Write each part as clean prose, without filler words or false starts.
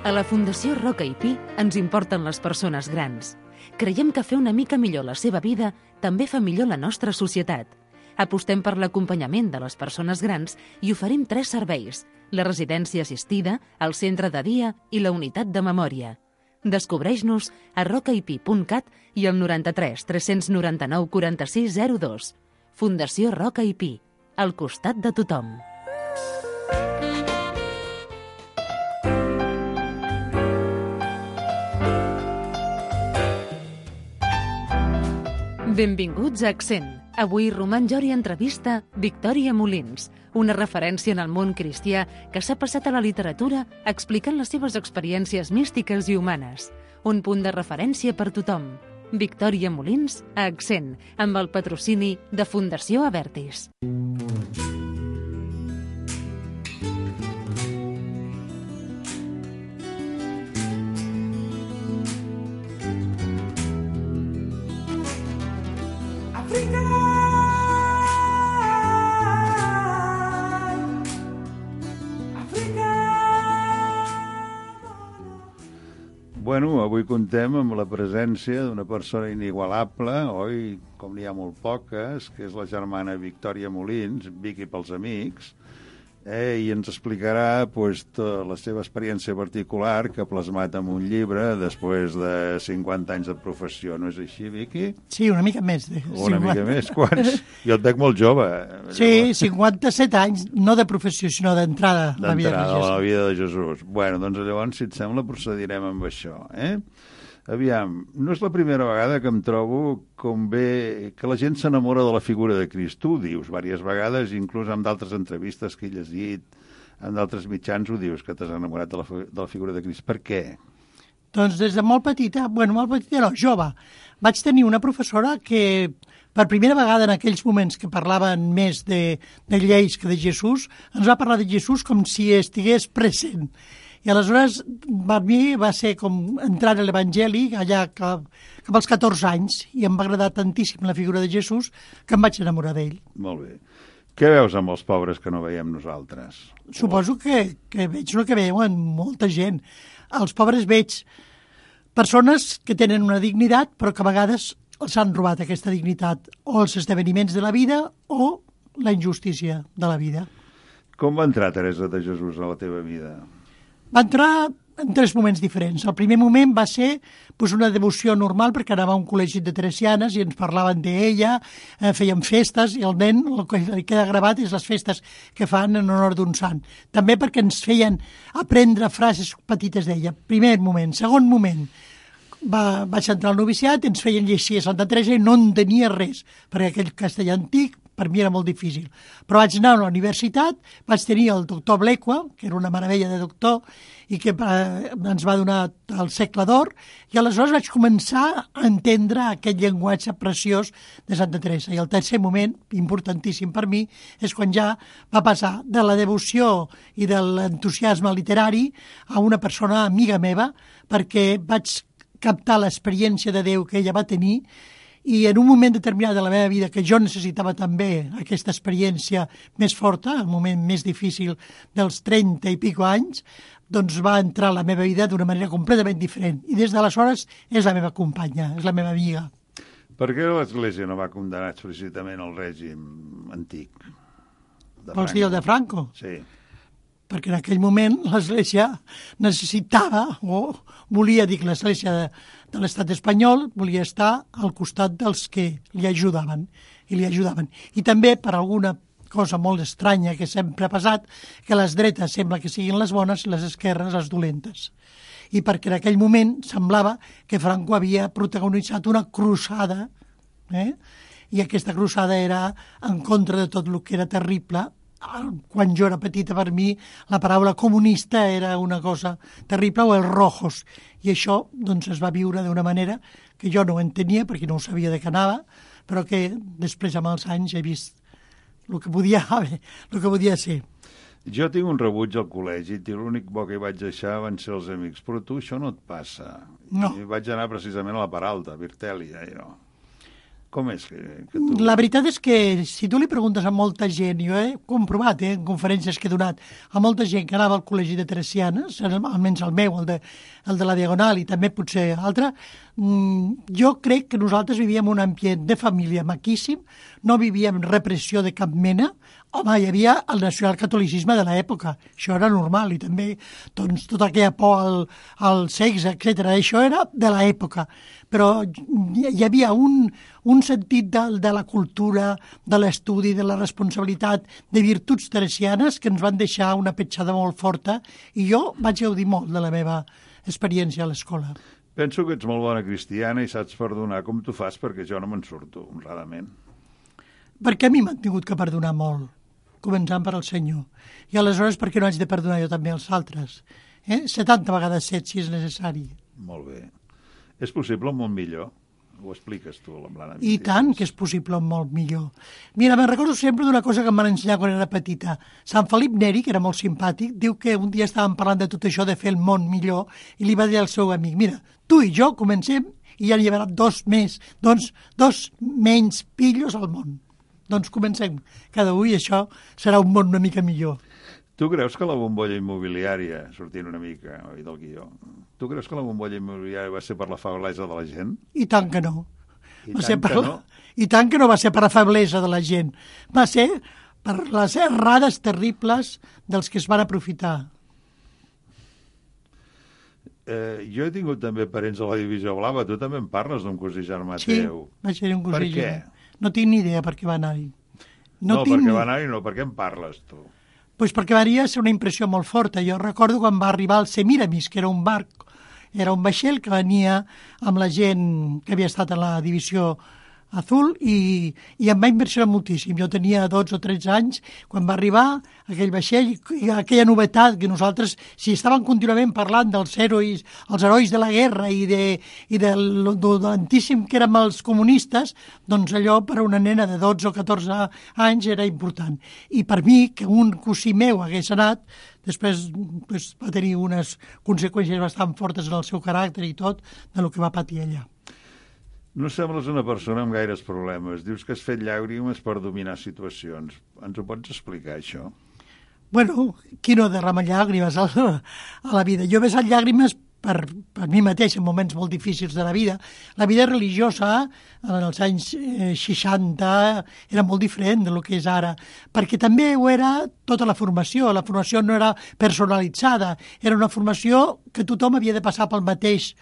A la Fundació Roca i Pi ens importen les persones grans. Creiem que fer una mica millor la seva vida també fa millor la nostra societat. Apostem per l'acompanyament de les persones grans i oferim 3 serveis: la residència assistida, el centre de dia i la unitat de memòria. Descobreix-nos a rocaipi.cat i al 93 399 46 02. Fundació Roca i Pi, al costat de tothom. Benvinguts a Accent. Avui Roman Jori entrevista Victòria Molins, una referència en el món cristià que s'ha passat a la literatura explicant les seves experiències místiques i humanes. Un punt de referència per tothom. Victòria Molins a Accent, amb el patrocini de Fundació Avertis. Bueno, avui contem amb la presència d'una persona inigualable, oi, com n'hi ha molt poques, que és la germana Victòria Molins, Vicky pels amics, i ens explicarà la seva experiència particular que ha plasmat en un llibre després de 50 anys de professió. No és així, Vicky? Sí, una mica més. Una mica més? Quants? Jo et veig molt jove. Sí, 57 anys, no de professió, sinó d'entrada a la vida de Jesús. A la vida de Jesús. Bueno, doncs llavors, si et sembla, procedirem amb això, Aviam, no és la primera vegada que em trobo com bé que la gent s'enamora de la figura de Crist. Tu ho dius diverses vegades, inclús amb d'altres entrevistes que he llegit, amb d'altres mitjans ho dius, que t'has enamorat de la figura de Crist. Per què? Doncs des de molt petita, no, jove, vaig tenir una professora que per primera vegada en aquells moments que parlaven més de lleis que de Jesús, ens va parlar de Jesús com si estigués present. I aleshores, per mi va ser com entrar a l'Evangeli allà cap als 14 anys i em va agradar tantíssim la figura de Jesús que em vaig enamorar d'ell. Molt bé. Què veus amb els pobres que no veiem nosaltres? Suposo que veig el que veuen molta gent. Als pobres veig persones que tenen una dignitat però que a vegades els han robat aquesta dignitat o els esdeveniments de la vida o la injustícia de la vida. Com va entrar Teresa de Jesús a la teva vida? Va entrar en 3 moments diferents. El primer moment va ser una devoció normal perquè anava a un col·legi de teresianes i ens parlaven d'ella, feien festes i el nen el que li queda gravat és les festes que fan en honor d'un sant. També perquè ens feien aprendre frases petites d'ella. Primer moment. Segon moment, vaig entrar al noviciat, ens feien llegir a Santa Teresa i no entenia res, perquè aquell castellà antic per mi era molt difícil. Però vaig anar a la universitat, vaig tenir el doctor Blequa, que era una meravella de doctor, i que ens va donar el segle d'or, i aleshores vaig començar a entendre aquest llenguatge preciós de Santa Teresa. I el tercer moment, importantíssim per mi, és quan ja va passar de la devoció i de l'entusiasme literari a una persona amiga meva, perquè vaig captar l'experiència de Déu que ella va tenir i en un moment determinat de la meva vida que jo necessitava també aquesta experiència més forta, el moment més difícil dels 30 i pico anys, doncs va entrar a la meva vida d'una manera completament diferent. I des d'aleshores és la meva companya, és la meva amiga. Per què l'Església no va condenar explícitament el règim antic? Vols dir el de Franco? Sí. Perquè en aquell moment l'Església necessitava, o volia dir que l'Església de l'estat espanyol volia estar al costat dels que li ajudaven, i li ajudaven. I també per alguna cosa molt estranya que sempre ha passat, que les dretes sembla que siguin les bones i les esquerres les dolentes. I perquè en aquell moment semblava que Franco havia protagonitzat una cruzada, i aquesta cruzada era en contra de tot el que era terrible. Quan jo era petita, per mi, la paraula comunista era una cosa terrible, o els rojos. I això doncs, es va viure d'una manera que jo no ho entenia, perquè no ho sabia de què anava, però que després, amb els anys, he vist el que podia ser. Jo tinc un rebuig al col·legi i l'únic bo que hi vaig deixar van ser els amics, però tu això no et passa. No. I vaig anar precisament a la part alta, a Virtèlia, i no. Com és que tu... La veritat és que si tu li preguntes a molta gent, jo he comprovat en conferències que he donat, a molta gent que anava al col·legi de Teresianes, almenys el meu, el de la Diagonal i també potser altre, jo crec que nosaltres vivíem un ambient de família maquíssim, no vivíem repressió de cap mena. Home, hi havia el nacionalcatolicisme de l'època, això era normal, i també doncs, tota aquella por al sexe, etc. Això era de l'època, però hi havia un sentit de la cultura, de l'estudi, de la responsabilitat, de virtuts teresianes que ens van deixar una petjada molt forta, i jo vaig gaudir molt de la meva experiència a l'escola. Penso que ets molt bona cristiana i saps perdonar com tu fas, perquè jo no me'n surto, honradament. Perquè a mi m'han tingut que perdonar molt, començant per al Senyor. I aleshores, per què no haig de perdonar jo també als altres? 70 vegades 7, si és necessari. Molt bé. És possible un món millor? Ho expliques tu, l'Amblana. I tant que és possible un molt millor. Mira, me'n recordo sempre d'una cosa que em van ensenyar quan era petita. Sant Felip Neri, que era molt simpàtic, diu que un dia estàvem parlant de tot això de fer el món millor i li va dir al seu amic, mira, tu i jo comencem i ja n'hi haurà dos menys pillos al món. Doncs comencem cada un i això serà un món una mica millor. Tu creus que la bombolla immobiliària, sortint una mica del guió, tu creus que la bombolla immobiliària va ser per la feblesa de la gent? I tant que no. I tant que no va ser per la feblesa de la gent. Va ser per les errades terribles dels que es van aprofitar. Jo he tingut també parents a la Divisió Blava. Tu també em parles d'un cosí germà teu. Sí, vaig tenir un cosí germà. Per què? No tinc ni idea per què va anar-hi. perquè va anar-hi no, per què em parles, tu? Pues perquè varia ser una impressió molt forta. Jo recordo quan va arribar al Semiramis, que era un barc, era un vaixell que venia amb la gent que havia estat a la divisió Azul i em va impressionar moltíssim. Jo tenia 12 o 13 anys quan va arribar aquell vaixell i aquella novetat que nosaltres, si estàvem contínuament parlant dels herois, els herois de la guerra i de l'antíssim que érem els comunistes, doncs allò per a una nena de 12 o 14 anys era important. I per mi, que un cosí meu hagués anat, després va tenir unes conseqüències bastant fortes en el seu caràcter i tot, del que va patir allà. No sembles una persona amb gaires problemes. Dius que has fet llàgrimes per dominar situacions. Ens ho pots explicar, això? Bueno, qui no derrama llàgrimes a la vida? Jo he vessat llàgrimes per mi mateix en moments molt difícils de la vida. La vida religiosa en els anys 60 era molt diferent del que és ara, perquè també ho era tota la formació. La formació no era personalitzada, era una formació que tothom havia de passar pel mateix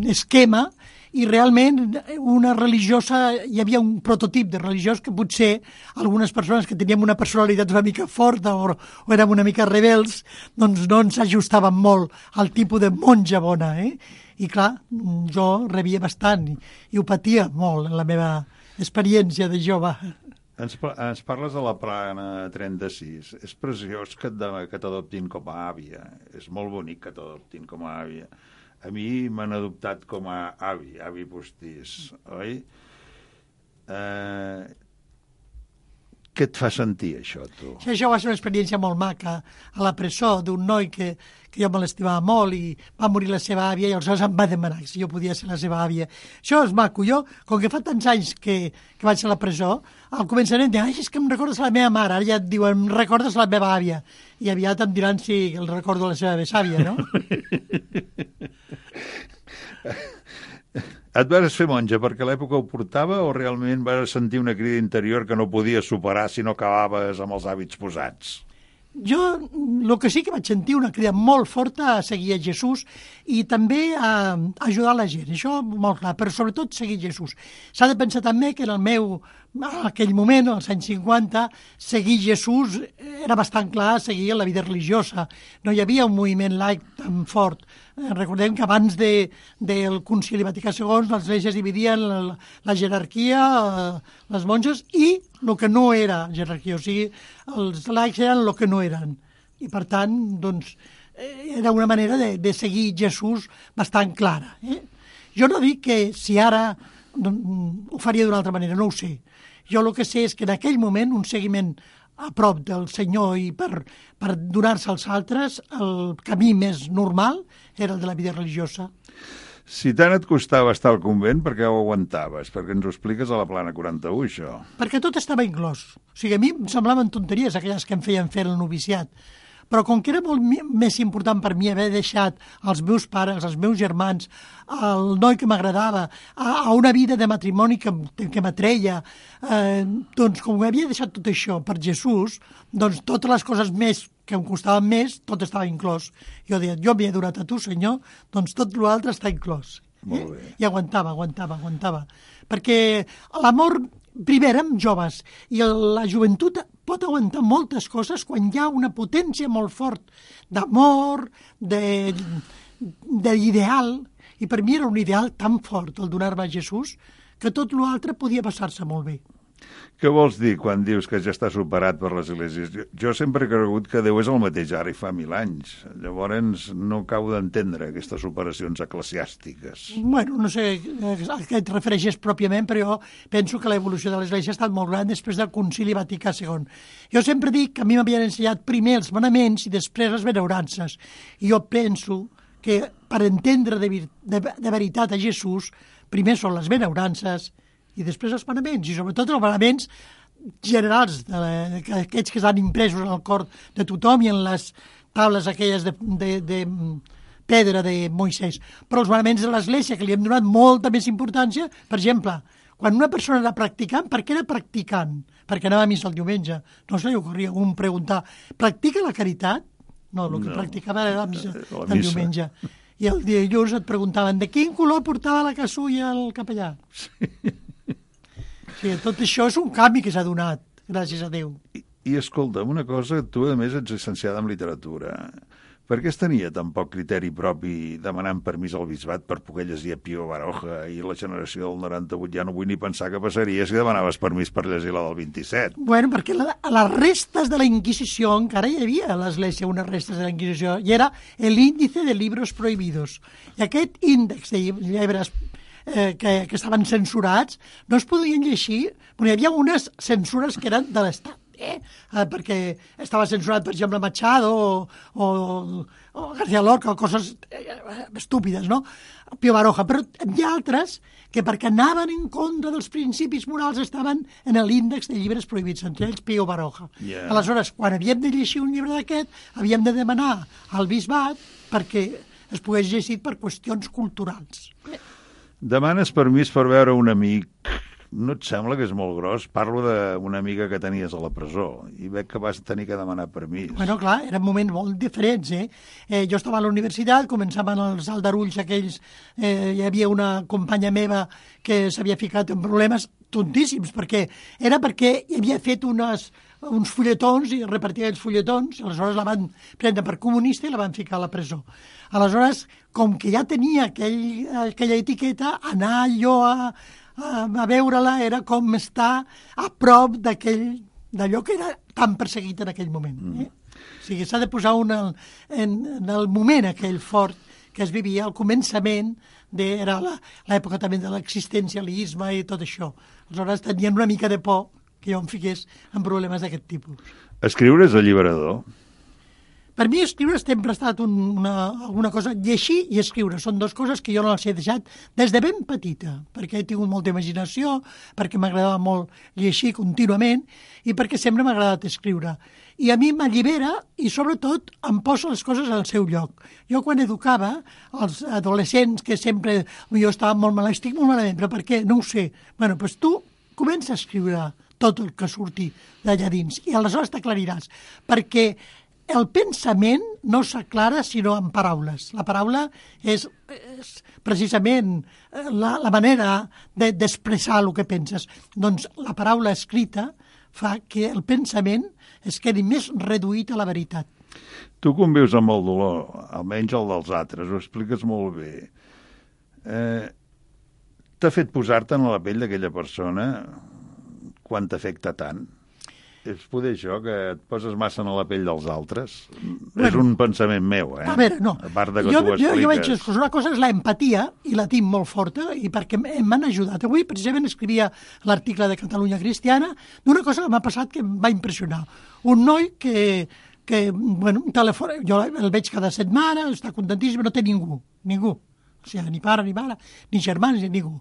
esquema, i realment una religiosa, hi havia un prototip de religiós que potser algunes persones que teníem una personalitat una mica forta o érem una mica rebels, doncs no ens ajustaven molt al tipus de monja bona, I clar, jo rebia bastant i ho patia molt en la meva experiència de jove. Ens parles de la Plana 36. És preciós que t'adoptin com a àvia. És molt bonic que t'adoptin com a àvia. A mi m'han adoptat com a avi postís, oi? Què et fa sentir, això, tu? Sí, això va ser una experiència molt maca a la presó d'un noi que jo me l'estimava molt i va morir la seva àvia i aleshores em va demanar si jo podia ser la seva àvia. Això és maco. Jo, com que fa tants anys que vaig a la presó, al començament deia, és que em recordes la meva mare, ara ja et diuen, em recordes la meva àvia. I aviat em diran si el recordo la seva besàvia, no? Et vas fer monja perquè l'època ho portava o realment vas sentir una crida interior que no podies superar si no acabaves amb els hàbits posats? Jo el que sí que vaig sentir una crida molt forta a seguir a Jesús i també a ajudar la gent, això molt clar, però sobretot seguir Jesús. S'ha de pensar també que en aquell moment, als anys 50, seguir Jesús era bastant clar seguir la vida religiosa. No hi havia un moviment laic tan fort. Recordem que abans del Concili Vaticà II l'Església es dividia en la jerarquia, les monges, i el que no era jerarquia, o sigui, els laics eren el que no eren. I per tant, doncs, era una manera de seguir Jesús bastant clara. Jo no dic que si ara ho faria d'una altra manera, no ho sé. Jo el que sé és que en aquell moment un seguiment a prop del Senyor i per donar-se als altres, el camí més normal era el de la vida religiosa. Si tant et costava estar al convent, per què ho aguantaves? Perquè ens ho expliques a la Plana 41, això. Perquè tot estava inclòs. O sigui, a mi em semblaven tonteries aquelles que em feien fer el noviciat. Però com que era molt més important per mi haver deixat els meus pares, els meus germans, el noi que m'agradava, a una vida de matrimoni que m'atreia, doncs com havia deixat tot això per Jesús, doncs totes les coses més que em costaven més, tot estava inclòs. Jo deia, jo m'he donat a tu, Senyor, doncs tot l'altre està inclòs. Molt bé. I aguantava. Perquè l'amor, primer érem joves, i la joventut pot aguantar moltes coses quan hi ha una potència molt fort d'amor, d'ideal, i per mi era un ideal tan fort el donar-me a Jesús que tot l'altre podia passar-se molt bé. Què vols dir quan dius que ja està superat per les esglésies? Jo sempre he cregut que Déu és el mateix ara i fa 1000 anys. Llavors no acabo d'entendre aquestes operacions eclesiàstiques. Bueno, no sé a què et refereixes pròpiament, però jo penso que l'evolució de l'Església ha estat molt gran després del Concili Vaticà II. Jo sempre dic que a mi m'havien ensenyat primer els manaments i després les benaurances. I jo penso que per entendre de veritat a Jesús, primer són les benaurances i després els manaments, i sobretot els manaments generals, aquests que estan impresos en el cor de tothom i en les tables aquelles de pedra de Moisès. Però els manaments de l'Església, que li hem donat molta més importància, per exemple, quan una persona era practicant, per què era practicant? Perquè anava a missa el diumenge. No se li ocorria un preguntar, practica la caritat? No, el que practicava era la missa del diumenge. I el dilluns et preguntaven de quin color portava la casulla el capellà. Sí, tot això és un canvi que s'ha donat, gràcies a Déu. I escolta'm, una cosa, tu a més ets llicenciada en literatura. Per què es tenia tan poc criteri propi demanant permís al bisbat per poder llegir a Pío Baroja i la generació del 98? Ja no vull ni pensar què passaria si demanaves permís per llegir la del 27. Bueno, perquè a les restes de la Inquisició encara hi havia a l'Església unes restes de la Inquisició, i era l'índice de libros prohibidos. I aquest índex de llibres que estaven censurats, no es podien llegir, perquè hi havia unes censures que eren de l'Estat, perquè estava censurat, per exemple, Machado o García Lorca, o coses estúpides, no? Pío Baroja, però hi ha altres que perquè anaven en contra dels principis morals estaven en l'índex de llibres prohibits, entre ells Pío Baroja. Yeah. Aleshores, quan havíem de llegir un llibre d'aquest, havíem de demanar al bisbat perquè es pogués llegir per qüestions culturals. Demanes permís per veure un amic. No et sembla que és molt gros? Parlo d'una amiga que tenies a la presó i veig que vas tenir que demanar permís. Bueno, clar, eren moments molt diferents, jo estava a la universitat, començaven els aldarulls aquells, hi havia una companya meva que s'havia ficat en problemes tontíssims, perquè hi havia fet uns fulletons i repartia els fulletons, aleshores la van prendre per comunista i la van ficar a la presó. Aleshores, com que ja tenia aquella etiqueta, anar jo a veure-la era com estar a prop d'allò que era tan perseguit en aquell moment. O sigui, s'ha de posar en el moment aquell fort que es vivia al començament, era l'època també de l'existencialisme i tot això. Aleshores tenien una mica de por que jo em fiqués en problemes d'aquest tipus. Escriure és alliberador? Per mi escriure sempre ha estat alguna cosa. Llegir i escriure són dues coses que jo no les he deixat des de ben petita, perquè he tingut molta imaginació, perquè m'agradava molt llegir contínuament i perquè sempre m'ha agradat escriure. I a mi m'allibera i, sobretot, em posa les coses al seu lloc. Jo, quan educava els adolescents, que sempre jo estava molt malament, estic molt malament, però per què? No ho sé. Bueno, doncs tu comença a escriure tot el que surti d'allà dins i aleshores t'aclariràs, perquè el pensament no s'aclara sinó en paraules. La paraula és precisament la manera d'expressar el que penses. Doncs la paraula escrita fa que el pensament es quedi més reduït a la veritat. Tu convius amb el dolor, almenys el dels altres, ho expliques molt bé. T'ha fet posar-te en la pell d'aquella persona quan t'afecta tant? És poder això, que et poses massa en la pell dels altres? Bueno, és un pensament meu, A veure, no. A part de que tu ho expliques. Jo veig que una cosa és l'empatia, i la tinc molt forta, i perquè m'han ajudat. Avui, precisament, escrivia l'article de Catalunya Cristiana d'una cosa que m'ha passat que em va impressionar. Un noi que bueno, telefona, jo el veig cada setmana, està contentíssim, no té ningú. O sigui, ni pare, ni mare, ni germans, ni ningú.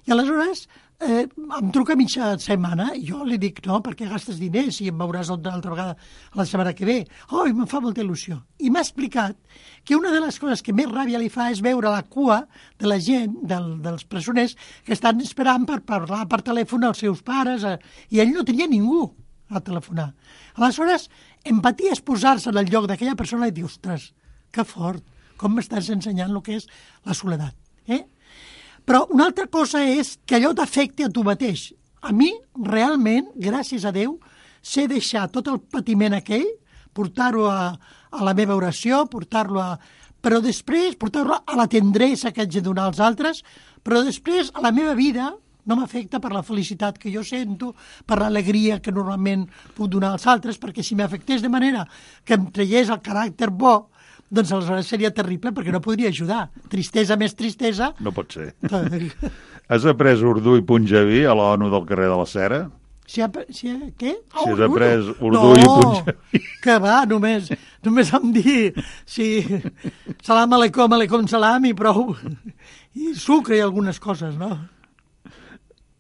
I aleshores em truca a mitja setmana i jo li dic, no, perquè gastes diners i em veuràs una altra vegada la setmana que ve. Oh, i me'n fa molta il·lusió. I m'ha explicat que una de les coses que més ràbia li fa és veure la cua de la gent, dels presoners, que estan esperant per parlar per telèfon als seus pares, i ell no tenia ningú a telefonar. Aleshores, empatia és posar-se en el lloc d'aquella persona i dir, ostres, que fort, com m'estàs ensenyant el que és la soledat, Però una altra cosa és que allò t'afecti a tu mateix. A mi, realment, gràcies a Déu, sé deixar tot el patiment aquell, portar-ho a la meva oració, però després portar-ho a la tendresa que haig de donar als altres, però després a la meva vida no m'afecta per la felicitat que jo sento, per l'alegria que normalment puc donar als altres, perquè si m'afectés de manera que em traiés el caràcter bo, doncs aleshores seria terrible perquè no podria ajudar. Tristesa més tristesa... No pot ser. Has après urdú i punjabi a l'ONU del carrer de la Cera? Què? Si has après urdú i punjabi... Que va, només em dir salam aleikum salam i prou. I sucre i algunes coses, no?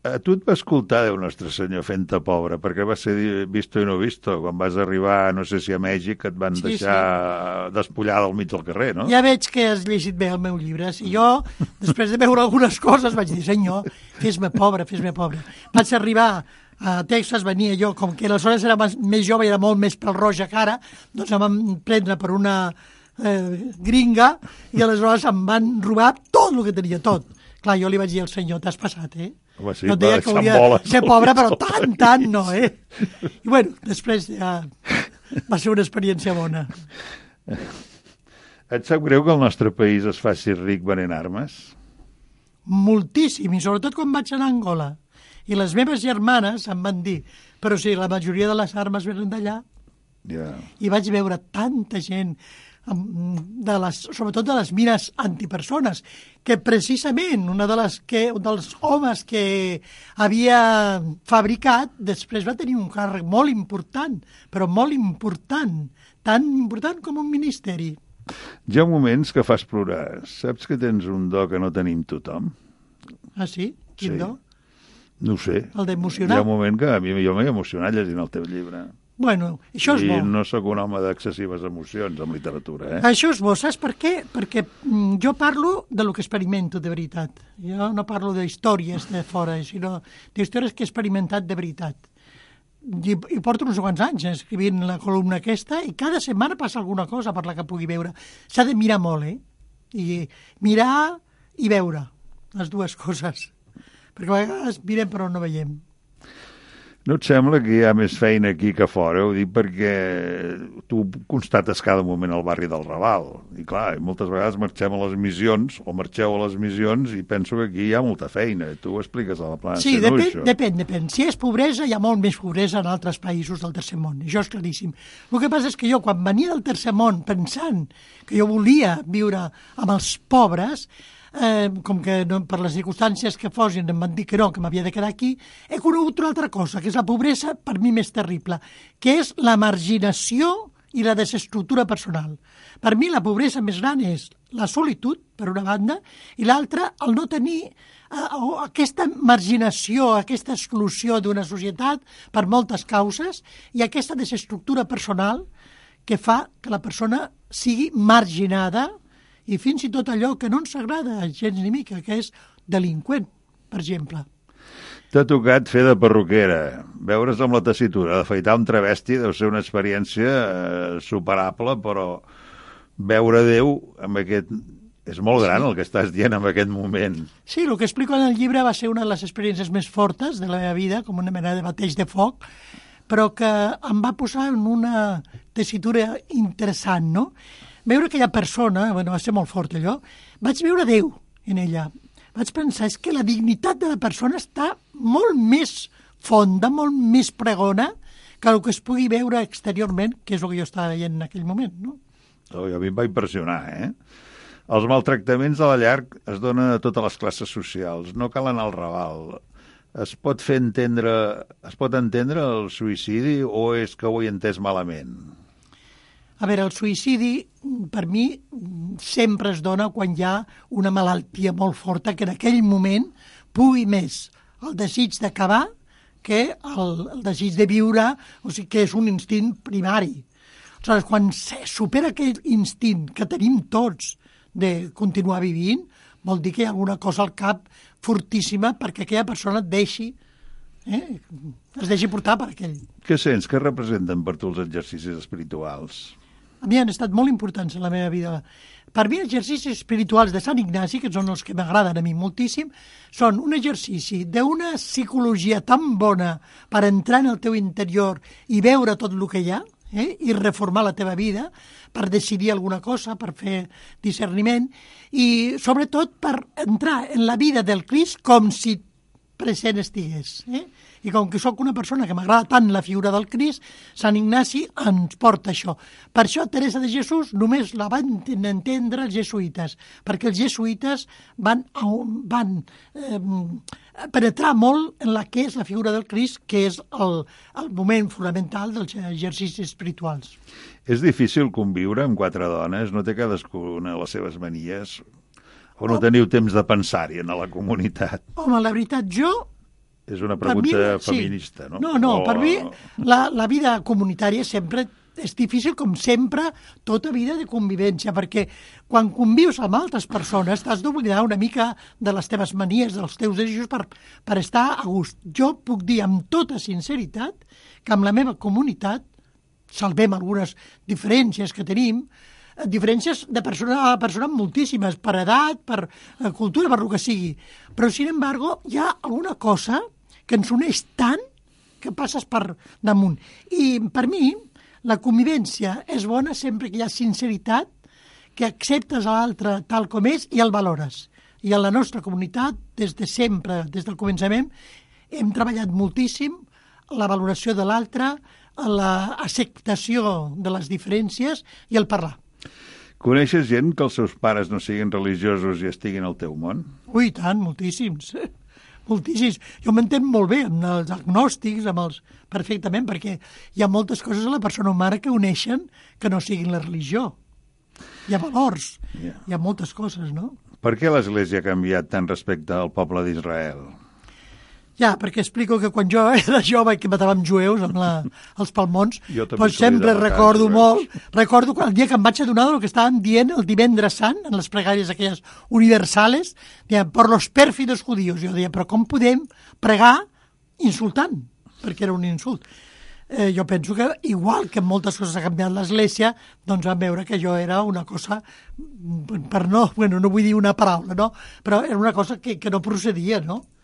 A tu et va escoltar Déu Nostre Senyor fent-te pobre, perquè va ser visto i no visto. Quan vas arribar, no sé si a Mèxic, et van deixar despullada al mig del carrer, no? Ja veig que has llegit bé el meu llibre. Si jo, després de veure algunes coses, vaig dir, senyor, fes-me pobre. Vaig arribar a Texas, venia jo, com que aleshores era més jove i era molt més pèl-roja que ara, doncs em van prendre per una gringa i aleshores em van robar tot el que tenia, tot. Clar, jo li vaig dir al senyor, t'has passat, Home, sí, no et deia que hauria de ser pobre, però tant no, I bueno, després ja va ser una experiència bona. Et sap greu que el nostre país es faci ric venent armes? Moltíssim, i sobretot quan vaig anar a Angola. I les meves germanes em van dir, però sí, la majoria de les armes venen d'allà. Yeah. I vaig veure tanta gent, sobretot de les mines antipersones, que precisament un dels homes que havia fabricat després va tenir un càrrec molt important, però molt important, tan important com un ministeri. Hi ha moments que fas plorar. Saps que tens un do que no tenim tothom? Ah, sí? Quin do? No ho sé. El d'emocionar? Hi ha un moment que jo m'he emocionat llegint el teu llibre. Bueno, això és bo. I no sóc un home d'excessives emocions en literatura, Això és bo, saps per què? Perquè jo parlo de lo que experimento de veritat. Jo no parlo d'històries de fora, sinó d'històries que he experimentat de veritat. I porto uns quants anys escrivint la columna aquesta i cada setmana passa alguna cosa per la que pugui veure. S'ha de mirar molt, I mirar i veure, les dues coses. Perquè a vegades mirem però no veiem. No et sembla que hi ha més feina aquí que fora? Ho dic perquè tu constates cada moment al barri del Raval. I clar, moltes vegades marxem a les missions, o marxeu a les missions, i penso que aquí hi ha molta feina. Tu ho expliques a la plana. Sí, depèn. Si és pobresa, hi ha molt més pobresa en altres països del tercer món. Això és claríssim. El que passa és que jo, quan venia del tercer món, pensant que jo volia viure amb els pobres, com que per les circumstàncies que fossin em van dir que no, que m'havia de quedar aquí, he conegut una altra cosa, que és la pobresa per mi més terrible, que és la marginació i la desestructura personal. Per mi la pobresa més gran és la solitud, per una banda, i l'altra, el no tenir aquesta marginació, aquesta exclusió d'una societat per moltes causes i aquesta desestructura personal que fa que la persona sigui marginada i fins i tot allò que no ens agrada gens ni mica, que és delinqüent, per exemple. T'ha tocat fer de perruquera, veure's amb la tessitura, d'afaitar un travesti deu ser una experiència superable, però veure Déu amb aquest... És molt gran el que estàs dient en aquest moment. Sí, el que explico en el llibre va ser una de les experiències més fortes de la meva vida, com una mena de bateig de foc, però que em va posar en una tessitura interessant, no? Veure aquella persona, bueno, va ser molt fort allò, vaig veure Déu en ella. Vaig pensar, és que la dignitat de la persona està molt més fonda, molt més pregona que el que es pugui veure exteriorment, que és el que jo estava veient en aquell moment, no? A mi em va impressionar, Els maltractaments de la llar es donen a totes les classes socials, no cal anar al Raval. Es pot entendre el suïcidi o és que ho he entès malament? A veure, el suïcidi, per mi, sempre es dona quan hi ha una malaltia molt forta que en aquell moment pugui més el desig d'acabar que el desig de viure, o sigui que és un instint primari. Aleshores, quan se supera aquell instint que tenim tots de continuar vivint, vol dir que hi ha alguna cosa al cap fortíssima perquè aquella persona es deixi portar per aquell. Què sents? Què representen per tu els exercicis espirituals? A mi han estat molt importants en la meva vida. Per mi, els exercicis espirituals de Sant Ignasi, que són els que m'agraden a mi moltíssim, són un exercici d'una psicologia tan bona per entrar en el teu interior i veure tot el que hi ha, i reformar la teva vida, per decidir alguna cosa, per fer discerniment, i sobretot per entrar en la vida del Crist com si present estigués. I com que sóc una persona que m'agrada tant la figura del Crist, Sant Ignasi ens porta això. Per això Teresa de Jesús només la van entendre els jesuïtes, perquè els jesuïtes van penetrar molt en la que és la figura del Crist, que és el moment fonamental dels exercicis espirituals. És difícil conviure amb 4 dones? No té cadascuna les seves manies? O no teniu temps de pensar-hi en la comunitat? Home, la veritat, és una pregunta feminista, no? No, per mi la vida comunitària sempre és difícil, com sempre, tota vida de convivència, perquè quan convius amb altres persones t'has d'oblidar una mica de les teves manies, dels teus desitjos per estar a gust. Jo puc dir amb tota sinceritat que amb la meva comunitat salvem algunes diferències que tenim, diferències de persona a persona moltíssimes, per edat, per cultura, per el que sigui. Però, sin embargo, hi ha alguna cosa que ens uneix tant que passes per damunt. I per mi, la convivència és bona sempre que hi ha sinceritat, que acceptes l'altre tal com és i el valores. I en la nostra comunitat, des de sempre, des del començament, hem treballat moltíssim la valoració de l'altre, l'acceptació de les diferències i el parlar. Coneixes gent que els seus pares no siguin religiosos i estiguin al teu món? Ui, tant, moltíssims. Moltíssims. Jo m'entenc molt bé amb els agnòstics, perfectament, perquè hi ha moltes coses a la persona humana que uneixen que no siguin la religió. Hi ha valors, hi ha moltes coses, no? Per què l'Església ha canviat tant respecte al poble d'Israel? Ja, perquè explico que quan jo era jove i que matàvem jueus amb els palmons, doncs sempre recordo molt, recordo el dia que em vaig adonar del que estaven dient el divendres sant, en les pregàries aquelles universales, deien, per los pèrfidos judíos. Jo deia, però com podem pregar insultant? Perquè era un insult. Jo penso que, igual que moltes coses ha canviat l'Església, doncs vam veure que jo era una cosa, no vull dir una paraula, no? Però era una cosa que no procedia, no?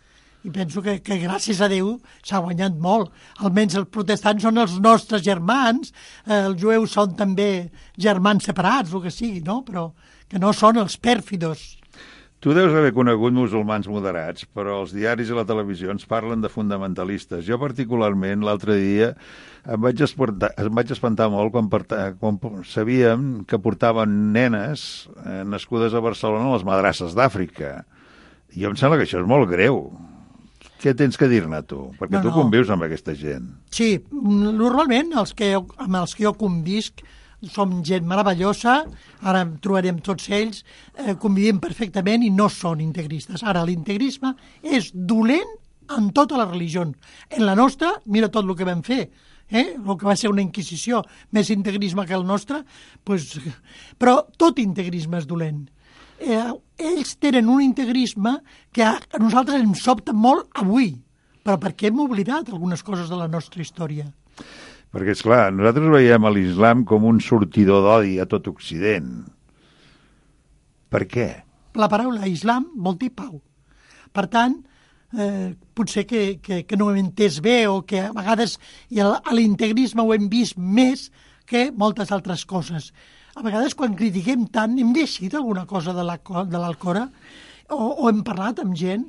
I penso que gràcies a Déu s'ha guanyat molt. Almenys els protestants són els nostres germans, els jueus són també germans separats, el que sigui, no? Però que no són els pèrfidos. Tu deus haver conegut musulmans moderats, però els diaris i la televisió ens parlen de fundamentalistes. Jo particularment l'altre dia em vaig espantar molt quan sabíem que portaven nenes nascudes a Barcelona a les madrasses d'Àfrica. I em sembla que això és molt greu. Què tens que dir-ne, tu? Perquè tu convius amb aquesta gent. Sí, normalment amb els que jo convisc som gent meravellosa, ara trobarem tots ells, convivim perfectament i no són integristes. Ara, l'integrisme és dolent en totes les religions. En la nostra, mira tot el que vam fer, el que va ser una inquisició, més integrisme que el nostre, però tot integrisme és dolent. Ells tenen un integrisme que a nosaltres ens sobta molt avui, però perquè hem oblidat algunes coses de la nostra història. Perquè, esclar, nosaltres veiem l'islam com un sortidor d'odi a tot Occident. Per què? La paraula islam vol dir pau. Per tant, potser que no ho hem entès bé o que a vegades a l'integrisme ho hem vist més que moltes altres coses. A vegades, quan critiquem tant, hem llegit alguna cosa de l'Alcorà o hem parlat amb gent.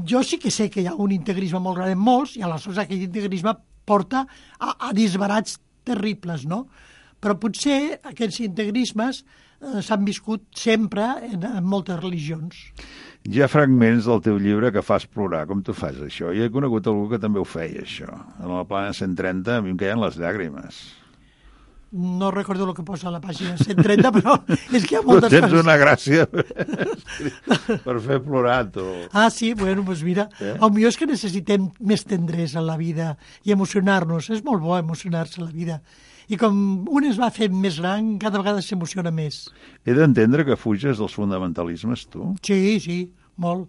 Jo sí que sé que hi ha un integrisme molt gran en molts i aleshores aquest integrisme porta a disbarats terribles, no? Però potser aquests integrismes s'han viscut sempre en moltes religions. Hi ha fragments del teu llibre que fas plorar. Com tu fas això? Jo he conegut algú que també ho feia, això. En la plana 130 a mi em queien les llàgrimes. No recordo el que posa a la pàgina 130, però és que hi ha moltes tens coses. una gràcia per fer plorar, tu. Ah, sí? Bueno, doncs mira, potser és que necessitem més tendresa en la vida i emocionar-nos. És molt bo emocionar-se en la vida. I com un es va fent més gran, cada vegada s'emociona més. He d'entendre que fuges dels fonamentalismes, tu? Sí, molt.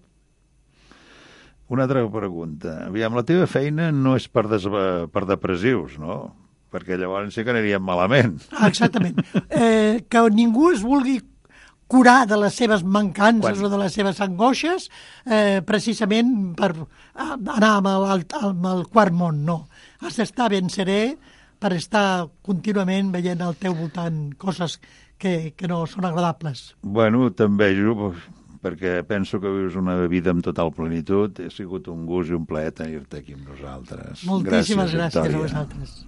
Una altra pregunta. Aviam, la teva feina no és per depressius, no? Perquè llavors sí que aniríem malament. Ah, exactament. Que ningú es vulgui curar de les seves mancances o de les seves angoixes precisament per anar amb el quart món, no. Has d'estar ben serè per estar contínuament veient al teu voltant coses que no són agradables. Bueno, t'envejo perquè penso que vius una vida amb total plenitud. Ha sigut un gust i un plaer tenir-te aquí amb nosaltres. Moltíssimes gràcies Victòria. a vosaltres.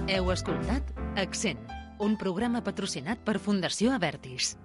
Heu escoltat Accent, un programa patrocinat per Fundació Avertis.